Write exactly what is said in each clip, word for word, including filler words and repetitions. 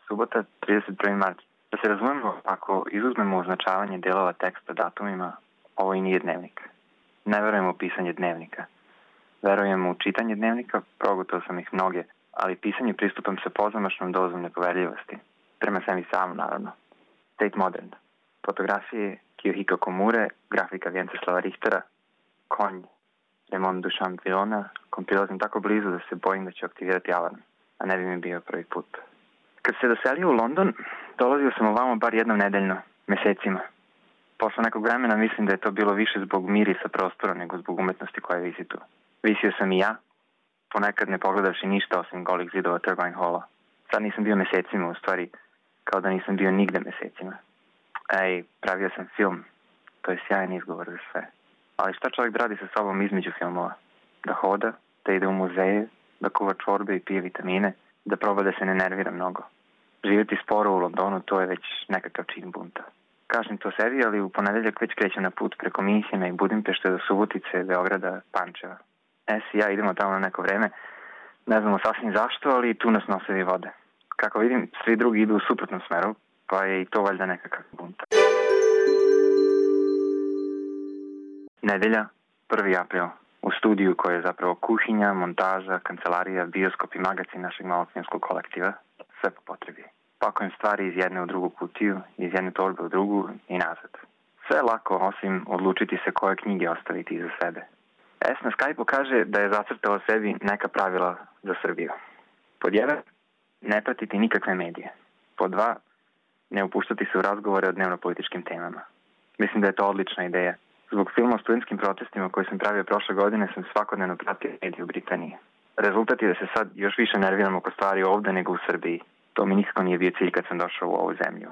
Subota, trideset prvi mart. Da se razumemo, ako izuzmemo označavanje delova teksta datumima, ovo i nije dnevnik. Ne verujem u pisanje dnevnika. Verujem u čitanje dnevnika, progutao sam ih mnoge, ali pisanje pristupam sa pozamašnom dozom nepoverljivosti. Prema sebi sam, naravno. Tate Modern. Fotografije Kiyohiko Komure, grafika Vjenceslava Richtera, konj Raymond Duchamp Villona, kompilazim tako blizu da se bojim da ću aktivirati alarm, a ne bi mi bio prvi put. Kad se doselio u London, dolazio sam ovamo bar jednom nedeljno, mesecima. Posle nekog vremena mislim da je to bilo više zbog mirisa prostora nego zbog umetnosti koja visi tu. Visio sam i ja, ponekad ne pogledavši ništa osim golih zidova Turbine Halla. Sad nisam bio mesecima, u stvari, kao da nisam bio nigde mesecima. Ej, pravio sam film, to je sjajan izgovor za sve. Ali šta čovjek da radi sa sobom između filmova? Da hoda, da ide u muzeje, da kuva čorbe i pije vitamine, da proba da se ne nervira mnogo. Živjeti sporo u Londonu, to je već nekakav čin bunta. Kažem to sebi, ali u ponedeljak već krećem na put preko Minhena i Budimpešte do Subotice, Beograda, Pančeva. Es i ja idemo tamo na neko vreme. Ne znamo sasvim zašto, ali tu nas nosevi vode. Kako vidim, svi drugi idu u suprotnom smeru, pa je i to valjda nekakav bunt. Nedelja, prvi april. U studiju koji je zapravo kuhinja, montaža, kancelarija, bioskop i magacin našeg malog filmskog kolektiva. Sve po potrebi. Pakujem stvari iz jedne u drugu kutiju, iz jedne torbe u drugu i nazad. Sve je lako, osim odlučiti se koje knjige ostaviti iza sebe. Es na Skype-u kaže da je zacrtala sebi neka pravila za Srbiju. Pod jedan, ne pratiti nikakve medije. Pod dva, ne upuštati se u razgovore o dnevno-političkim temama. Mislim da je to odlična ideja. Zbog filma o studentskim protestima koji sam pravio prošle godine sam svakodnevno pratio medije u Britaniji. Rezultat je da se sad još više nerviram oko stvari ovde nego u Srbiji. To mi nikako nije bio cilj kad sam došao u ovu zemlju.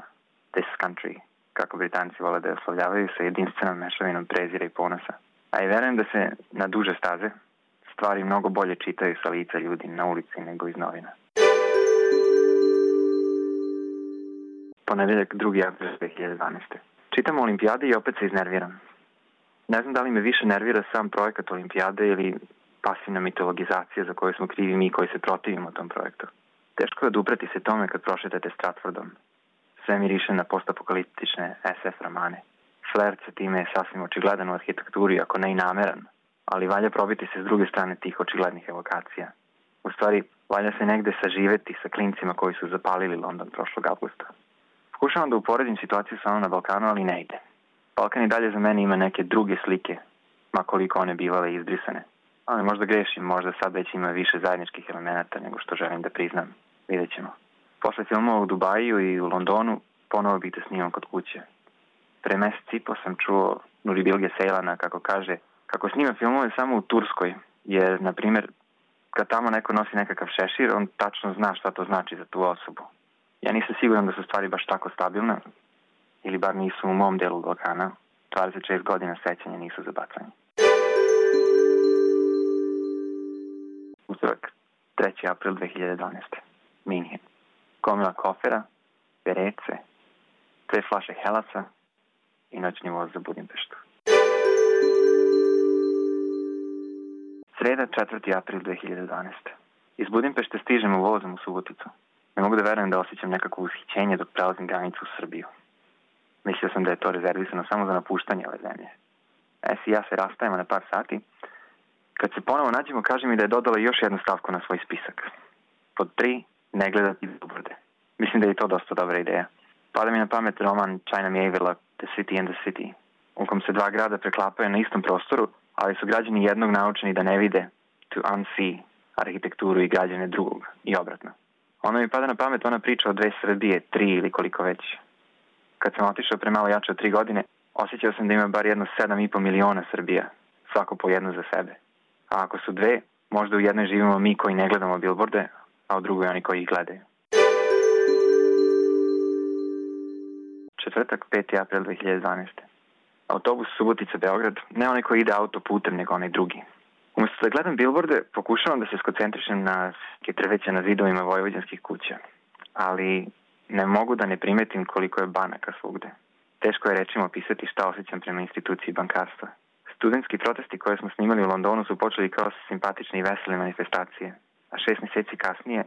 This country, kako Britanci vole da je oslavljavaju sa jedinstvenom mešavinom prezira i ponosa. A i verujem da se na duže staze stvari mnogo bolje čitaju sa lica ljudi na ulici nego iz novina. Ponedeljak, drugi april dve hiljade dvanaeste. Čitam o olimpijadi i opet se iznerviram. Ne znam da li me više nervira sam projekat olimpijade ili pasivna mitologizacija za koju smo krivi mi koji se protivimo tom projektu. Teško je odupreti se tome kad prošetate Stratfordom. Sve miriše na postapokaliptične es ef romane. Flert sa time je sasvim očigledan u arhitekturi, ako ne i nameran, ali valja probiti se s druge strane tih očiglednih evokacija. U stvari, valja se negde saživeti sa klincima koji su zapalili London prošlog avgusta. Pokušavam da uporedim situaciju sa onom na Balkanu, ali ne ide. Balkan i dalje za mene ima neke druge slike, makoliko one bivale izbrisane. Ali možda grešim, možda sad već ima više zajedničkih elemenata nego što želim da priznam. Vidjet ćemo. Posle filmova u Dubaju i u Londonu ponovo bih da snimam kod kuće. Pre mesec i po sam čuo Nuri Bilge Ceylan'a kako kaže kako snima filmove samo u Turskoj, jer, na primjer, kad tamo neko nosi nekakav šešir, on tačno zna šta to znači za tu osobu. Ja nisam siguran da su stvari baš tako stabilne, ili bar nisu u mom delu Balkana. dvadeset šest godina sećanja nisu za bacanje. Utorak, treći april dve hiljade dvanaeste. Minhen. Gomila kofera, perece, dve flaše helasa i noćni voz za Budimpeštu. Sreda, četvrti april dve hiljade dvanaeste. Iz Budimpešte stižemo vozom u Suboticu. Ne mogu da verujem da osjećam nekako ushićenje dok prelazim granicu u Srbiju. Mislio sam da je to rezervisano samo za napuštanje ove zemlje. Es i ja se rastajemo na par sati. Kad se ponovo nađemo, kaže mi da je dodala još jednu stavku na svoj spisak. Pod tri, ne gledati billboarde. Mislim da je to dosta dobra ideja. Pada mi na pamet roman China Miéville, The City and the City, u kom se dva grada preklapaju na istom prostoru, ali su građani jednog naučeni da ne vide, to unsee, arhitekturu i građane drugog, i obratno. Ono mi pada na pamet ona priča o dve Srbije, tri ili koliko već. Kad sam otišao pre malo jače od tri godine, osjećao sam da ima bar jedno sedam i po miliona Srbija, svako po jednu za sebe. A ako su dve, možda u jednoj živimo mi koji ne gledamo billboarde, a u drugoj oni koji ih gledaju. Četvrtak, peti april dve hiljade dvanaeste. Autobus Subotica-Beograd, ne onaj koji ide autoputem, nego onaj drugi. Umesto da gledam billboarde, pokušavam da se skoncentrišem na drveće na zidovima vojvođanskih kuća. Ali ne mogu da ne primetim koliko je banaka svugde. Teško je rečima opisati šta osjećam prema instituciji bankarstva. Studentski protesti koje smo snimali u Londonu su počeli kao simpatične i vesele manifestacije. A šest mjeseci kasnije,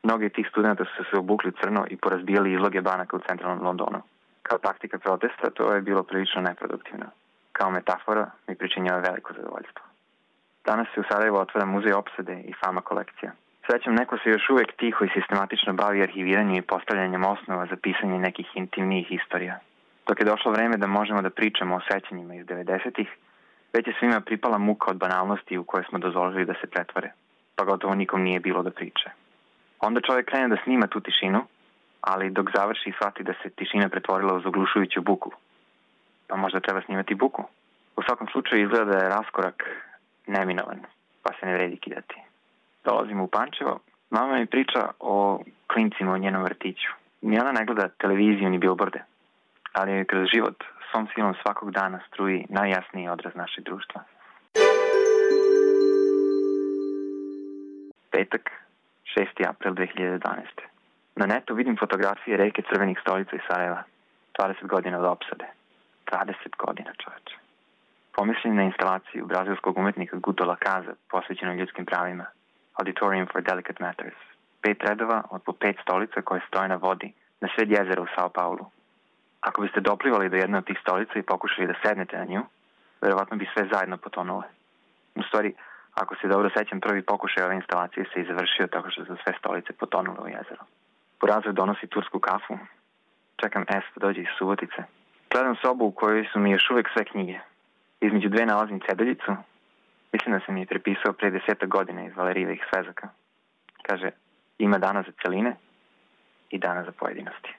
Mnogi od tih studenta su se obukli crno i porazbijali izloge banaka u centralnom Londonu. Kao taktika protesta to je bilo prilično neproduktivno. Kao metafora mi pričinjava veliko zadovoljstvo. Danas se u Sarajevu otvara muzej opsade i fama kolekcija. Srećom, neko se još uvek tiho i sistematično bavi arhiviranjem i postavljanjem osnova za pisanje nekih intimnijih istorija. Dok je došlo vreme da možemo da pričamo o sećanjima iz devedesetih, već je svima pripala muka od banalnosti u koje smo dozvolili da se pretvore, pa gotovo nikom nije bilo da priče. Onda čovjek krene da snima tu tišinu, ali dok završi shvati da se tišina pretvorila uz oglušujuću buku. Pa možda treba snimati buku. U svakom slučaju izgleda da je raskorak neminovan, pa se ne vredi kidati. Dolazimo u Pančevo, mama mi priča o klincima u njenom vrtiću. Ni ona ne gleda televiziju ni bilborde, ali je kroz život svom silom svakog dana struji najjasniji odraz našeg društva. Petak, šesti april dve hiljade dvanaeste. Na netu vidim fotografije reke crvenih stolica iz Sarajeva. dvadeset godina od opsade. dvadeset godina, čoveče. Pomislim na instalaciju brazilskog umetnika Guto Lakaza posvećeno ljudskim pravima. Auditorium for Delicate Matters. Pet redova od po pet stolica koje stoje na vodi na sred jezera u Sao Paulu. Ako biste doplivali do jedne od tih stolica i pokušali da sednete na nju, verovatno bi sve zajedno potonule. U stvari, ako se dobro sećam, prvi pokušaj ove instalacije se i završio tako što su sve stolice potonule u jezero. Burazir donosi tursku kafu. Čekam S da dođe iz Subotice. Gledam sobu u kojoj su mi još uvek sve knjige. Između dve nalazim ceduljicu. Mislim da sam je prepisao pre desetak godina iz Valerijevih svezaka. Kaže, ima dana za celine i dana za pojedinosti.